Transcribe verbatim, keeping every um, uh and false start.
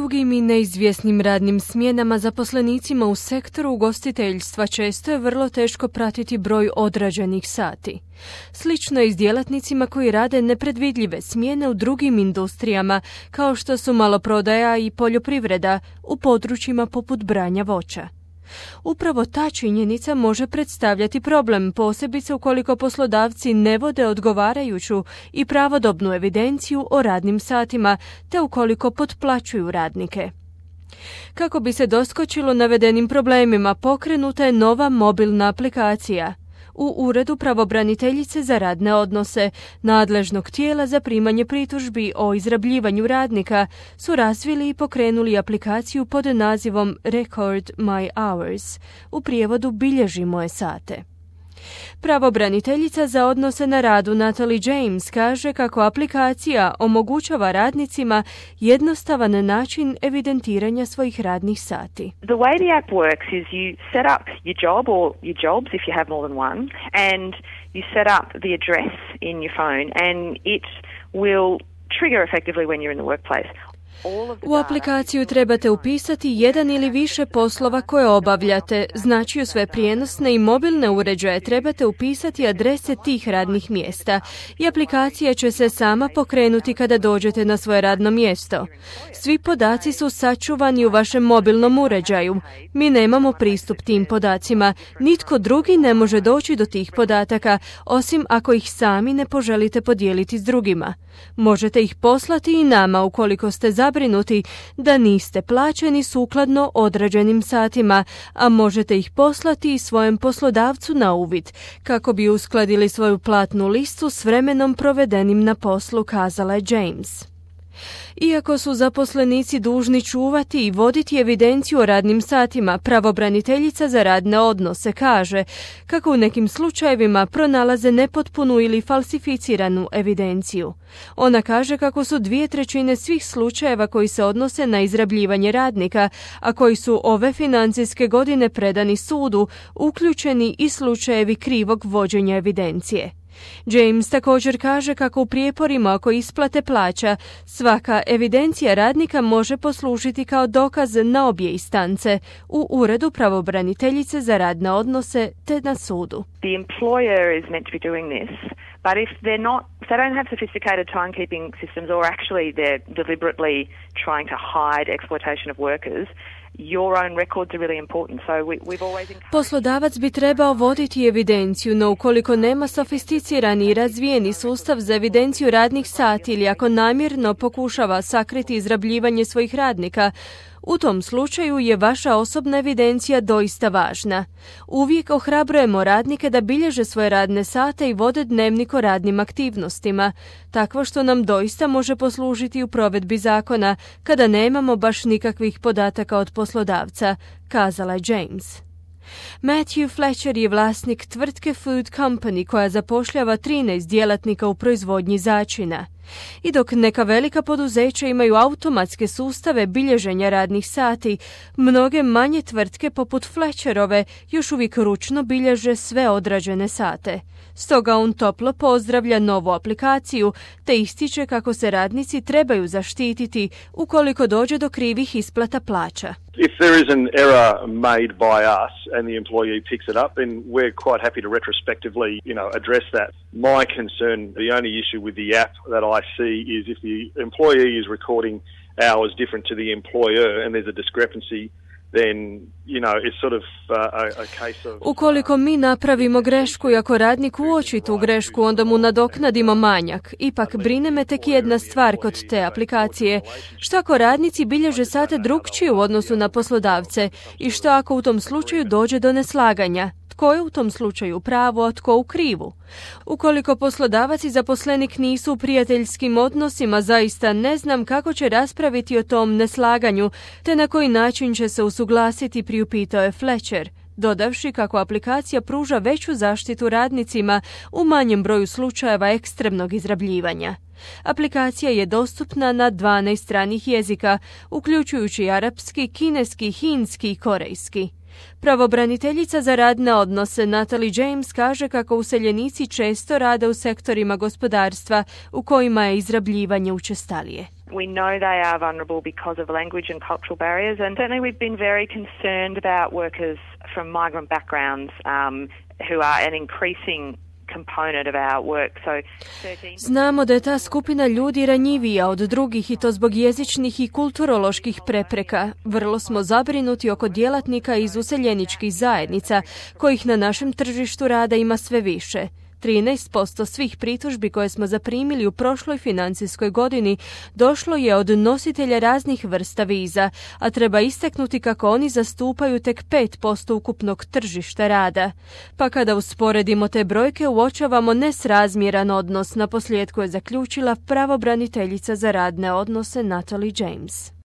dugim i neizvjesnim radnim smjenama zaposlenicima u sektoru ugostiteljstva često je vrlo teško pratiti broj odrađenih sati. Slično je i s djelatnicima koji rade nepredvidljive smjene u drugim industrijama, kao što su maloprodaja i poljoprivreda u područjima poput branja voća. Upravo ta činjenica može predstavljati problem, posebice ukoliko poslodavci ne vode odgovarajuću i pravodobnu evidenciju o radnim satima, te ukoliko potplaćuju radnike. Kako bi se doskočilo navedenim problemima, pokrenuta je nova mobilna aplikacija. U Uredu pravobraniteljice za radne odnose, nadležnog tijela za primanje pritužbi o izrabljivanju radnika, su razvili i pokrenuli aplikaciju pod nazivom Record My Hours, u prijevodu Bilježi moje sate. Pravobraniteljica za odnose na radu Natalie James kaže kako aplikacija omogućava radnicima jednostavan način evidentiranja svojih radnih sati. The way the app works is you set up your job or your jobs if you have more than one, and you set up the address in your phone and it will trigger effectively when you're in the workplace. U aplikaciju trebate upisati jedan ili više poslova koje obavljate, znači u sve prijenosne i mobilne uređaje trebate upisati adrese tih radnih mjesta i aplikacija će se sama pokrenuti kada dođete na svoje radno mjesto. Svi podaci su sačuvani u vašem mobilnom uređaju. Mi nemamo pristup tim podacima, nitko drugi ne može doći do tih podataka, osim ako ih sami ne poželite podijeliti s drugima. Možete ih poslati i nama ukoliko ste zabrinuti da niste plaćeni sukladno određenim satima, a možete ih poslati i svojem poslodavcu na uvid, kako bi uskladili svoju platnu listu s vremenom provedenim na poslu, kazala je James. Iako su zaposlenici dužni čuvati i voditi evidenciju o radnim satima, pravobraniteljica za radne odnose kaže kako u nekim slučajevima pronalaze nepotpunu ili falsificiranu evidenciju. Ona kaže kako su dvije trećine svih slučajeva koji se odnose na izrabljivanje radnika, a koji su ove financijske godine predani sudu, uključeni i slučajevi krivog vođenja evidencije. James također kaže kako u prijeporima oko isplate plaća svaka evidencija radnika može poslužiti kao dokaz na obje instance, u Uredu pravobraniteljice za radne odnose te na sudu. The employer is meant to be doing this, but if they're not, if they don't have sophisticated timekeeping systems or actually they're deliberately trying to hide exploitation of workers, your own records are really important. So we, we've always encouraged... Poslodavac bi trebao voditi evidenciju, no ukoliko nema sofisticirani i razvijeni sustav za evidenciju radnih sati ili ako namjerno pokušava sakriti izrabljivanje svojih radnika, u tom slučaju je vaša osobna evidencija doista važna. Uvijek ohrabrujemo radnike da bilježe svoje radne sate i vode dnevnik o radnim aktivnostima, takvo što nam doista može poslužiti u provedbi zakona kada nemamo baš nikakvih podataka od poslodavca, kazala je James. Matthew Fletcher je vlasnik tvrtke Food Company koja zapošljava trinaest djelatnika u proizvodnji začina. I dok neka velika poduzeća imaju automatske sustave bilježenja radnih sati, mnoge manje tvrtke poput Fletcherove još uvijek ručno bilježe sve odrađene sate. Stoga on toplo pozdravlja novu aplikaciju te ističe kako se radnici trebaju zaštititi ukoliko dođe do krivih isplata plaća. If there is an error made by us and the employee picks it up, then we're quite happy to retrospectively, you know, address that. My concern, the only issue with the app that I see is if the employee is recording hours different to the employer and there's a discrepancy, then, you know, it's sort of uh, a, a case of... Ukoliko mi napravimo grešku i ako radnik uoči tu grešku, onda mu nadoknadimo manjak. Ipak brine me tek jedna stvar kod te aplikacije. Što ako radnici bilježe sate drukčije u odnosu na poslodavce i što ako u tom slučaju dođe do neslaganja? Tko je u tom slučaju u pravu, a tko u krivu? Ukoliko poslodavac i zaposlenik nisu u prijateljskim odnosima, zaista ne znam kako će raspraviti o tom neslaganju, te na koji način će se usuglasiti, priupitao je Fletcher, dodavši kako aplikacija pruža veću zaštitu radnicima u manjem broju slučajeva ekstremnog izrabljivanja. Aplikacija je dostupna na dvanaest stranih jezika, uključujući arapski, kineski, hinski i korejski. Pravobraniteljica za radne odnose Natalie James kaže kako useljenici često rade u sektorima gospodarstva u kojima je izrabljivanje učestalije. We know they are vulnerable because of language and cultural barriers, and certainly we've been very concerned about workers from migrant backgrounds um, who are an increasing component of our work. So Znamo da je ta skupina ljudi ranjivija od drugih i to zbog jezičnih i kulturoloških prepreka. Vrlo smo zabrinuti oko djelatnika iz useljeničkih zajednica, kojih na našem tržištu rada ima sve više. trinaest posto svih pritužbi koje smo zaprimili u prošloj financijskoj godini došlo je od nositelja raznih vrsta viza, a treba istaknuti kako oni zastupaju tek pet posto ukupnog tržišta rada. Pa kada usporedimo te brojke, uočavamo nesrazmjeran odnos, naposljetku je zaključila pravobraniteljica za radne odnose Natalie James.